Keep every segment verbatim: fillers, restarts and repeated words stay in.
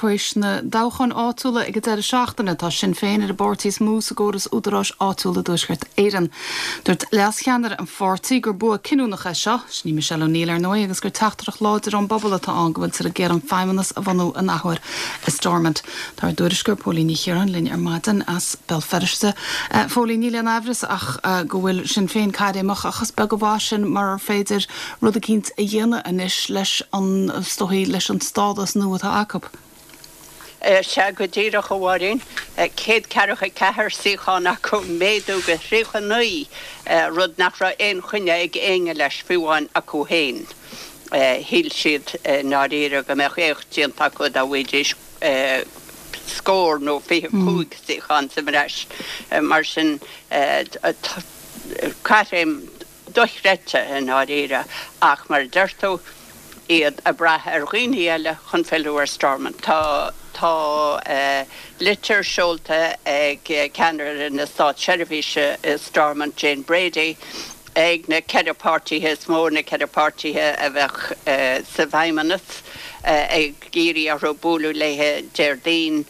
Tar éis na dtoghchán áitiúla ag an deireadh seachtaine tá Sinn Féin ar an bpáirtí is mó sa gcóras údaráis áitiúla i dTuaisceart Éireann. Dúirt leascheannaire an pháirtí gur bua cinniúnach é seo, sin í Michelle O'Neill ar ndóigh agus gur teachtaireacht láidir ón bpobal atá ann go bhfuiltear ag iarraidh an feidhmeannas a bhunú in athuair i Stormont. Tá ár dtuairisceoir Póilín Ní Chiaráin linn ar maidin as Béal Feirste. Phóilín níl aon amhras ach go bhfuil Sinn Féin caithréimeach ach is beag an mhaith sin mar féidir rud eicínt a dhéanamh anois leis an stoí leis an stádas nua atá acu. Sea go díreach a Mháirín, céad ceathracha ceathair suíochán acu méadú go tríocha naoi rud nach raibh aon choinne ag éinne leis fiú amháin acu féin. Shíl siad ndáiríre go mbeadh éacht déanta acu dá bhfaighidís scór nó fiche cúig suíochán sa bhreis mar sin caithréim dochreidte i ndáiríre ach mar a deir tú iad ag brath ar dhaoine eile chun filleadh ar Stormont. Tá tá litir seolta ag ceannaire na státseirbhíse i Stormont Jane Brady ag na ceithre páirtithe is mó na ceithre páirtithe a bheadh sa bhfeidhmeannas ag iarraidh orthu bualadh léi Déardaoin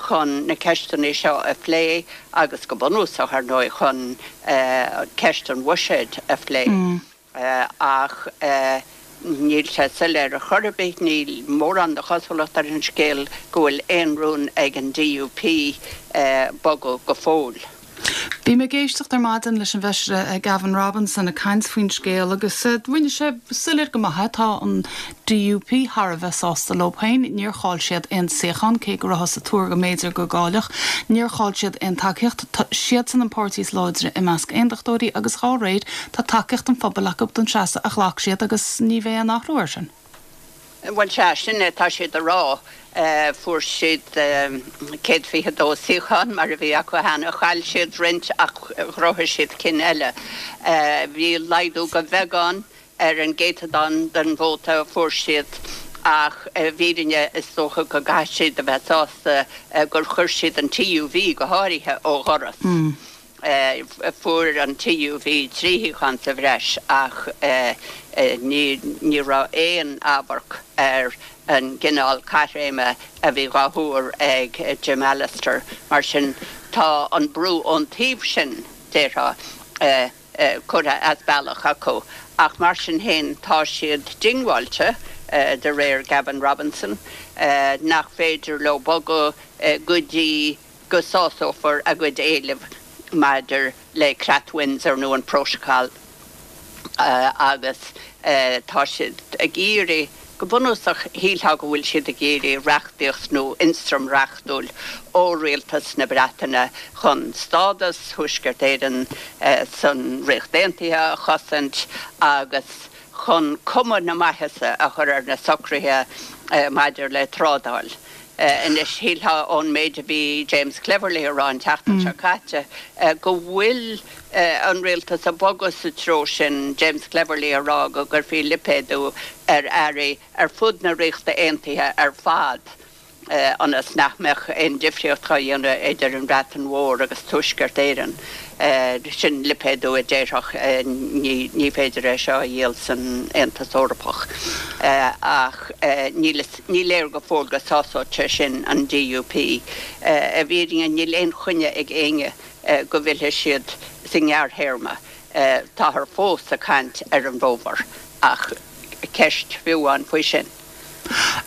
chun na ceisteanna seo a phlé agus go bunúsach ar ndóigh chun ceist an bhuiséid a phlé. Ach níl sé soiléir ar chor ar bith níl mórán de chosúlacht ar an scéal go bhfuil aon rún ag an DUP bogadh go fóill. Bhí mé ag éisteacht ar maidin leis an bhfeisire Gavin Robinson ag caint faoin scéal agus rinne sé soiléir go maith tá an DUP thar a bheith sásta leo féin, níor chaill siad aon suíochán cé go rabhthas ag tuar go mb'fhéidir go gcaillfeadh, níor chaill siad aon tacaíocht siadsan an páirtí is láidre i measc aontachtóirí agus dá réir tá tacaíocht an phobail acu don seasamh a ghlac siad agus ní bheidh aon athrú air sin. Bhuel sea sin é tá siad a rá fuair siad céad fiche dó suíochán mar a bhí acu cheana chaill siad roinnt ach ghnóthaigh siad cinn eile. Bhí laghdú go beagán ar an gcéatadán den vóta a fuair siad ach i bhfírinne is dócha go gcaithfidh siad a bheith sásta gur chuir siad an TUV go háirithe ó dhoras. Fuair an TUV trí shuíochán sa bhreis ach ní ní raibh aon amharc ar an gcineál caithréime a bhí á thuar ag Jim Allister mar sin tá an brú ón taobh sin déarfá curtha as bealach acu ach mar sin féin tá siad diongbháilte de réir Gavin Robinson nach féidir leo bogadh go dtí go sásófar a gcuid éileamh maidir le Creat Windsor nó an Protocol agus tá siad ag iarraidh go bunúsach shílfeá go bhfuil siad ag iarraidh reachtaíocht nó ionstraim reachtúil ó rialtas na Breataine chun stádas Thuaisceart Éireann san Ríocht Aontaithe a chosaint agus chun cuma na maitheasa a chur ar na socruithe maidir le trádáil. Anois shílfeá ón méid a bhí James Cleverly a rá an tseachtain seo caite go bhfuil an rialtas ag bogadh sa treo sin James Cleverly a rá go gcuirfí lipéadú ar earraí ar fud na Ríochta Aontaithe ar fad ionas nach mbeadh aon difríocht á dhéanamh idir an Bhreatain Mhór agus Tuaisceart Éireann. Sin lipéadú a déarfadh ní ní féidir é seo a dhíol san Aontas Eorpach. Ach níl ní léir go fóill go sásódh sé sin an DUP. I bhfírinne níl aon choinne ag éinne go bhfillfidh siad sa ngearrthéarma. Táthar fós ag caint ar an bhfómhar ach ceist fiú an faoi sin.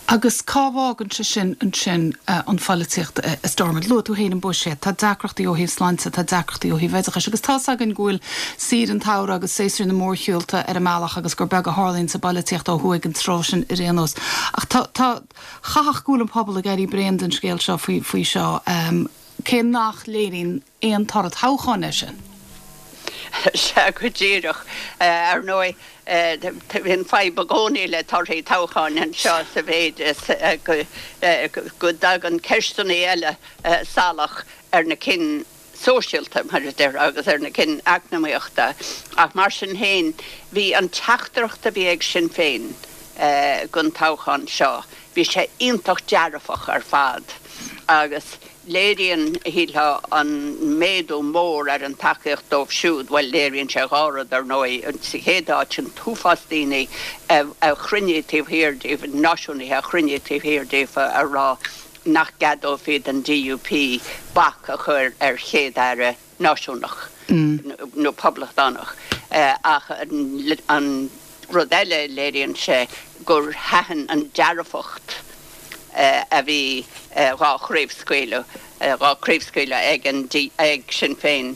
Agus cá bhfágann sé sin ansin an pholaitíocht i Stormont luaigh tú féin an buiséad, tá deacrachtaí ó thaobh sláinte, tá deacrachtaí ó thaobh oideachais, agus tá againn go bhfuil saoire an tsamhraidh agus séasúr na mórshiúlta ar an mbealach agus gur beag a tharlaíonn sa bpolaitíocht ó thuaidh an tráth sin ar aon nós. Ach tá tá chaithfeadh go bhfuil an pobal ag éirí bréan den scéal seo faoi faoi seo um, cé nach léiríonn aon toradh toghcháin é sin. Sea go díreach ar ndóigh bíonn fadhb i gcónaí le torthaí toghcháin anseo sa mhéid is go dtagann ceisteanna eile salach ar na cinn sóisialta mar a deir agus ar na cinn eacnamaíochta ach mar sin féin bhí an teachtaireacht a bhí ag Sinn Féin don toghchán seo bhí sé iontach dearfach ar fad agus léiríonn shílfeá an méadú mór ar an tacaíocht dóibh siúd, bhuel léiríonn sé dhá rud ar ndóigh sa chéad áit an t-uafás daoine a chruinnigh taobh thiar díobh náisiúnaithe a chruinnigh taobh thiar díofa a rá nach gceadófaí don D U P bac a chur ar chéad-aire náisiúnach nó poblachtánach. Ach an rud eile, léiríonn sé gur thaitin an dearfacht a bhí dhá chraobhscaoileadh dhá craobhscaoileadh ag an ag Sinn Féin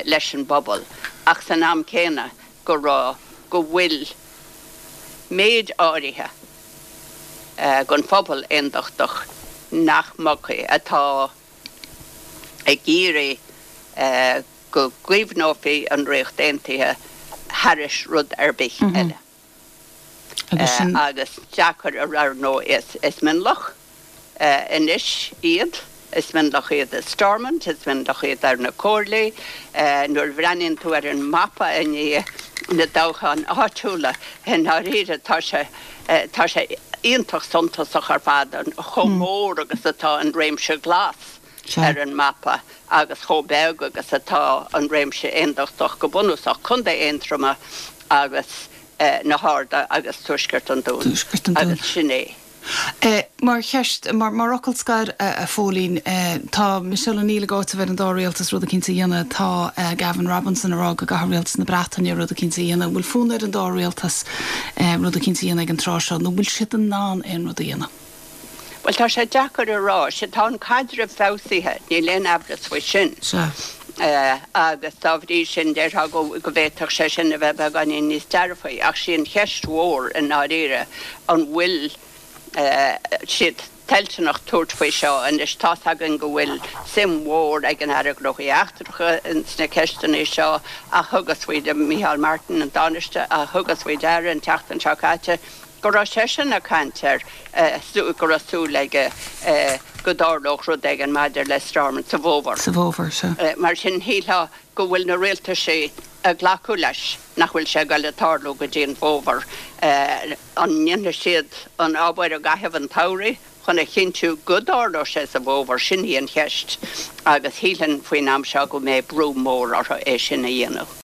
leis an bpobal, ach san am céanna go raibh go bhfuil méid áirithe den phobal aontachtach nach mbogfaidh, atá ag iarraidh go gcaomhnófaí an Ríocht Aontaithe thar rud ar bith eile. Agus deacair a rá nó is is mionlach anois iad, is mionlach iad i Stormont, is mionlach iad ar na comhairlí. Nuair a bhreathnaíonn tú ar an mapa i ndiaidh na dtoghchán áitiúla, i ndáiríre tá sé tá sé iontach suntasach ar fad an chomh mór agus atá an réimse glas ar an mapa agus chomh beag agus atá an réimse aontachtach, go bunúsach Contae Aontroma agus na hArda agus Tuaisceart an Dúin agus sin é. Mar cheist, mar fhocal scoir, a Phóilín, tá Michelle O'Neill ag áiteamh ar an dá rialtas rud éicint a dhéanamh, tá Gavin Robinson ag rá go gcaithfidh rialtas na Breataine rud éicint a dhéanamh. Bhfuil fonn ar an dá rialtas rud éicint a dhéanamh ag an tráth seo, nó bhfuil siad in ann aon rud a dhéanamh? Well, tá sé deacair a rá. Sé tá an caidreamh feabhsaithe, níl aon amhras faoi sin. Agus dá bhrí sin déarfá go bhféadfadh sé sin a bheith beagáinín níos dearfaí, ach sí an cheist mhór i ndáiríre an bhfuil siad toilteanach tabhairt faoi seo. Anois tá againn go bhfuil suim mhór ag an Aire Gnóthaí Eachtracha sna ceisteanna seo, ach thugas faoi Micheál Martin, an Tánaiste, a thugas faoi deara an tseachtain seo caite go raibh seisean ag caint ar go raibh súil aige go dtarlódh rud éigin maidir le Stormont sa bhfómhar. Sa bhfómhar seo. Mar sin shílfeá go bhfuil na rialtais ag glacadh leis nach bhfuil sé ag tarlú go dtí an bhfómhar. An ndéanfaidh siad an obair i gcaitheamh an tsamhraidh chun a chinntiú go dtarlóidh sé sa bhfómhar, sin í an cheist, agus shílfinn faoin am seo go mbeidh brú mór orthu é sin a dhéanamh.